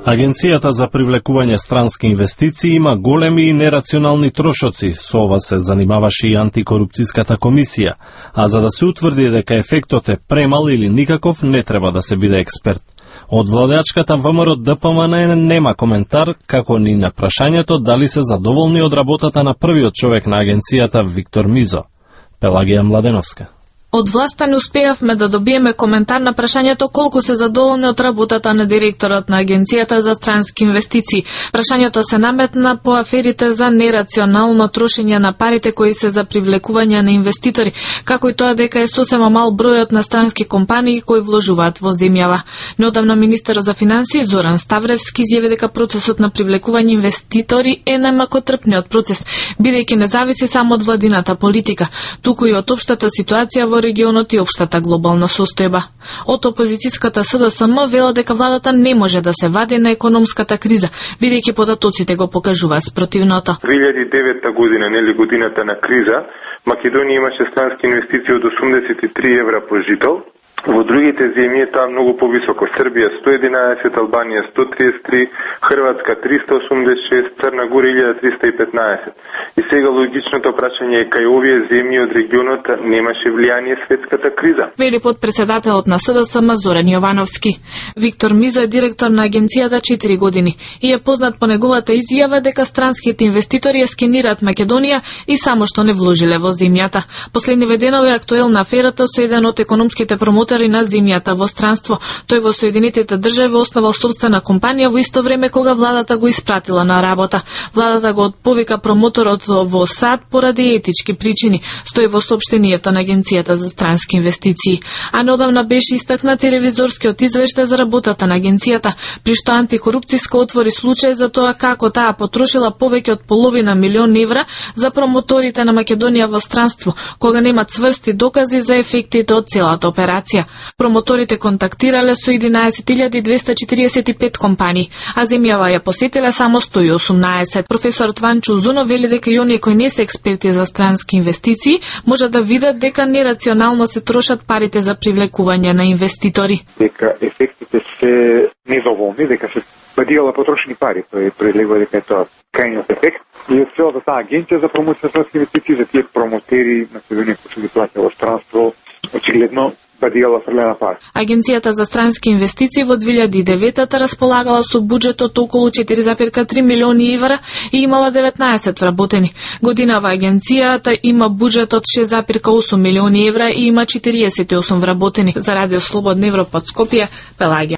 Агенцијата за привлекување странски инвестиции има големи и нерационални трошоци, со ова се занимаваше и антикорупцијската комисија, а за да се утврди дека ефектот е премал или никаков, не треба да се биде експерт. Од владеачката ВМРО ДПМН нема коментар, како ни на прашањето дали се задоволни од работата на првиот човек на агенцијата Виктор Мизо. Пелагија Младеновска. Од власта не успеавме да добиеме коментар на прашањето колку се задоволни од работата на директорот на Агенцијата за странски инвестиции. Прашањето се наметна по аферите за нерационално трошење на парите кои се за привлекување на инвеститори, како и тоа дека е сосема мал бројот на странски компании кои вложуваат во земјава. Неодамна министерот за финансии Зоран Ставревски изјави дека процесот на привлекување инвеститори е најмакотрпниот процес, бидејќи не зависи само од владината политика, туку и од општата ситуација во регионот и општата глобална состојба. Од опозицијската СДСМ вела дека владата не може да се вади на економската криза, бидејќи податоците го покажуваат спротивното. 2009 година, нели годината на криза, Македонија имаше странски инвестиции од 83 евра по жител. Во другите земји е тоа многу повисоко. Србија 111, Албанија 133, Хрватска 386, Црна Гора 1315. И сега логичното прашање е кај овие земји од регионот немаше влијание светската криза. Вели подпредседателот на СДСМ Зоран Јовановски. Виктор Мизо е директор на агенцијата 4 години и е познат по неговата изјава дека странските инвеститори ја скенираат Македонија и само што не вложиле во земјата. Последниве денови е актуелна аферата со еден од економските промотори на земјата во странство. Тој во Соединетите држави основал собствена компанија во исто време кога владата го испратила на работа. Владата го отповика промоторот во САД поради етички причини, стои во соопштението на Агенцијата за странски инвестиции. А неодамна беше истакнат и ревизорскиот извештај за работата на агенцијата, при што антикорупцијска отвори случај за тоа како таа потрошила повеќе од половина милион евра за промоторите на Македонија во странство, кога немат цврсти докази за ефектите од целата операција. Промоторите контактирале со 11.245 компании, а земјава ја посетиле само 118. Професор Ванчо Узунов вели дека и оние кои не се експерти за странски инвестиции може да видат дека нерационално се трошат парите за привлекување на инвеститори. Дека ефектите се недоволни, дека се бадијала потрошени пари, тој прелегува дека е тоа крајниот ефект. И од целата таа агенција за промоција на странски инвестиции за тие промотери Македонија кои се ги плаќа во странство, очигледно Агенцијата за странски инвестиции во 2009 располагала со буџет од околу 4,3 милиони евра и имала 19 вработени. Годинава агенцијата има буџет од 6,8 милиони евра и има 48 вработени. За Радио Слободна Европа од Скопје, Пелагија.